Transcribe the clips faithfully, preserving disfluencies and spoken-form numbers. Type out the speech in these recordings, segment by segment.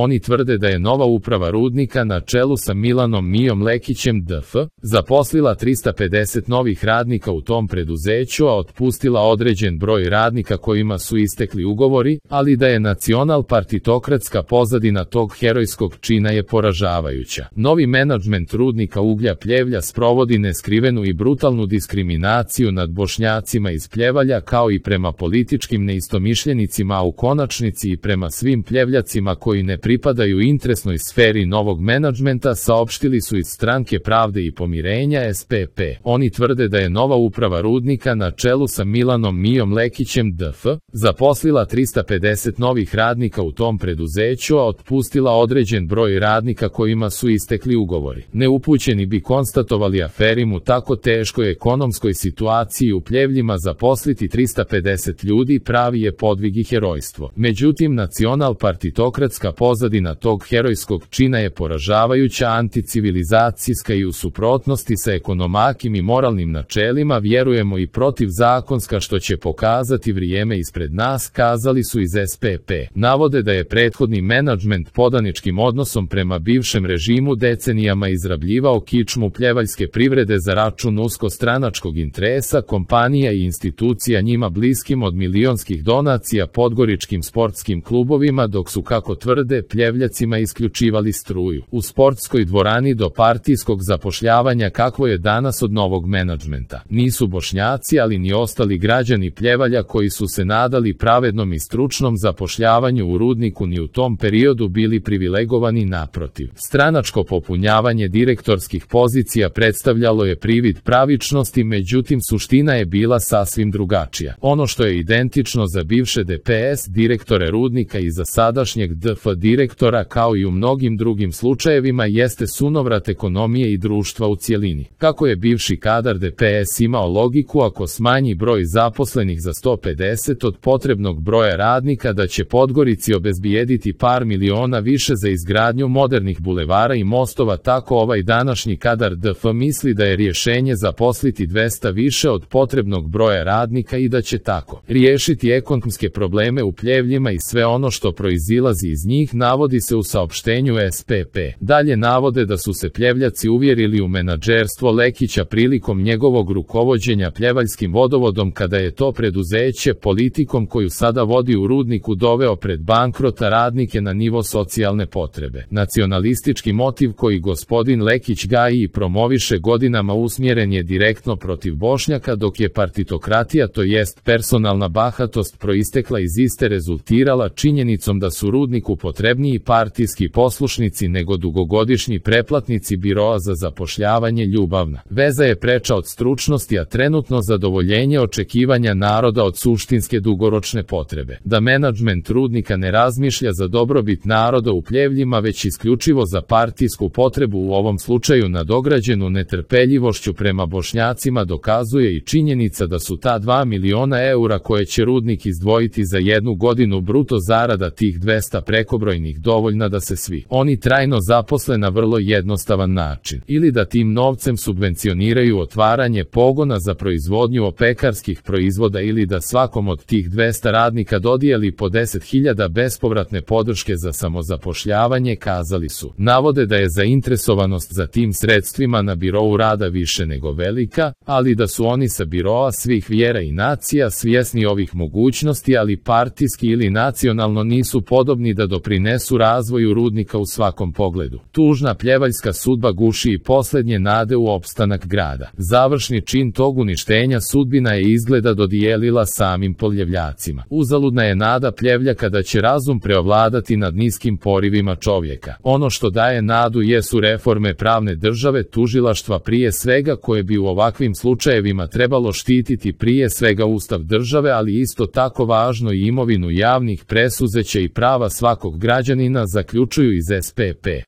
Oni tvrde da je nova uprava rudnika na čelu sa Milanom Mijom Lekićem D F zaposlila trista pedeset novih radnika u tom preduzeću, a otpustila određen broj radnika kojima su istekli ugovori, ali da je nacional-partitokratska pozadina tog herojskog čina je poražavajuća. Novi menadžment rudnika uglja Pljevlja sprovodi neskrivenu i brutalnu diskriminaciju nad Bošnjacima iz Pljevalja, kao i prema političkim neistomišljenicima, a u konačnici i prema svim Pljevljacima koji ne pripadaju interesnoj sferi novog menadžmenta, saopštili su iz Stranke pravde i pomirenja S P P. Oni tvrde da je nova uprava rudnika na čelu sa Milanom Mijom Lekićem D F zaposlila trista pedeset novih radnika u tom preduzeću, a otpustila određen broj radnika kojima su istekli ugovori. Neupućeni bi konstatovali aferimu u tako teškoj ekonomskoj situaciji u Pljevljima zaposliti trista pedeset ljudi pravi je podvig i herojstvo. Međutim, nacional-partitokratska pozadina tog herojskog čina je poražavajuća, anticivilizacijska i u suprotnosti sa ekonomakim i moralnim načelima, vjerujemo i protivzakonska, što će pokazati vrijeme ispred nas, kazali su iz S P P. Navode da je prethodni menadžment podaničkim odnosom prema bivšem režimu decenijama izrabljivao kičmu pljevaljske privrede za račun uskostranačkog interesa kompanija i institucija njima bliskim, od milionskih donacija podgoričkim sportskim klubovima, dok su, kako tvrde, Pljevljacima isključivali struju. U sportskoj dvorani do partijskog zapošljavanja kakvo je danas od novog menadžmenta. Nisu Bošnjaci, ali ni ostali građani Pljevalja koji su se nadali pravednom i stručnom zapošljavanju u rudniku ni u tom periodu bili privilegovani, naprotiv. Stranačko popunjavanje direktorskih pozicija predstavljalo je privid pravičnosti, međutim suština je bila sasvim drugačija. Ono što je identično za bivše D P S direktore rudnika i za sadašnjeg D F direktora, kao i u mnogim drugim slučajevima, jeste sunovrat ekonomije i društva u cjelini. Kako je bivši kadar D P S imao logiku ako smanji broj zaposlenih za sto pedeset od potrebnog broja radnika da će Podgorici obezbijediti par miliona više za izgradnju modernih bulevara i mostova, tako ovaj današnji kadar D F misli da je rješenje zaposliti dvesta više od potrebnog broja radnika i da će tako riješiti ekonomske probleme u Pljevljima i sve ono što proizilazi iz njih, navodi se u saopštenju S P P. Dalje navode da su se Pljevljaci uvjerili u menadžerstvo Lekića prilikom njegovog rukovođenja Pljevaljskim vodovodom, kada je to preduzeće politikom koju sada vodi u rudniku doveo pred bankrota radnike na nivo socijalne potrebe. Nacionalistički motiv koji gospodin Lekić gaji i promoviše godinama usmjeren je direktno protiv Bošnjaka, dok je partitokratija, to jest personalna bahatost, proistekla iz iste, rezultirala činjenicom da su rudniku potrebniji partijski poslušnici nego dugogodišnji preplatnici biroa za zapošljavanje. Ljubavna veza je preča od stručnosti, a trenutno zadovoljenje očekivanja naroda od suštinske dugoročne potrebe. Da menadžment rudnika ne razmišlja za dobrobit naroda u Pljevljima, već isključivo za partijsku potrebu, u ovom slučaju nadograđenu netrpeljivošću prema Bošnjacima, dokazuje i činjenica da su ta dva miliona eura koje će rudnik izdvojiti za jednu godinu bruto zarada tih dvesta prekobrojnih dovoljna da se svi oni trajno zaposle na vrlo jednostavan način, ili da tim novcem subvencioniraju otvaranje pogona za proizvodnju opekarskih proizvoda, ili da svakom od tih dvesta radnika dodijeli po deset hiljada bespovratne podrške za samozapošljavanje, kazali su. Navode da je zainteresovanost za tim sredstvima na birou rada više nego velika, ali da su oni sa biroa svih vjera i nacija svjesni ovih mogućnosti, ali partijski ili nacionalno nisu podobni da doprinesu razvoju rudnika u svakom pogledu. Tužna pljevaljska sudba guši i posljednje nade u opstanak grada. Završni čin tog uništenja sudbina je izgleda dodijelila samim Pljevljacima. Uzaludna je nada Pljevljaka da će razum preovladati nad niskim porivima čovjeka. Ono što daje nadu jesu reforme pravne države, tužilaštva prije svega, koje bi u ovakvim slučajevima trebalo štititi prije svega ustav države, ali isto tako važno i imovinu javnih presuzeća i prava svakog građanina, zaključuju iz S P P.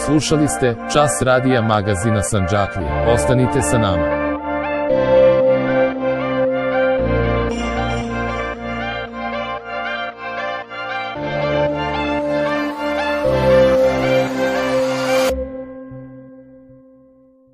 Slušali ste Čas radija magazina Sandžaklija. Ostanite sa nama.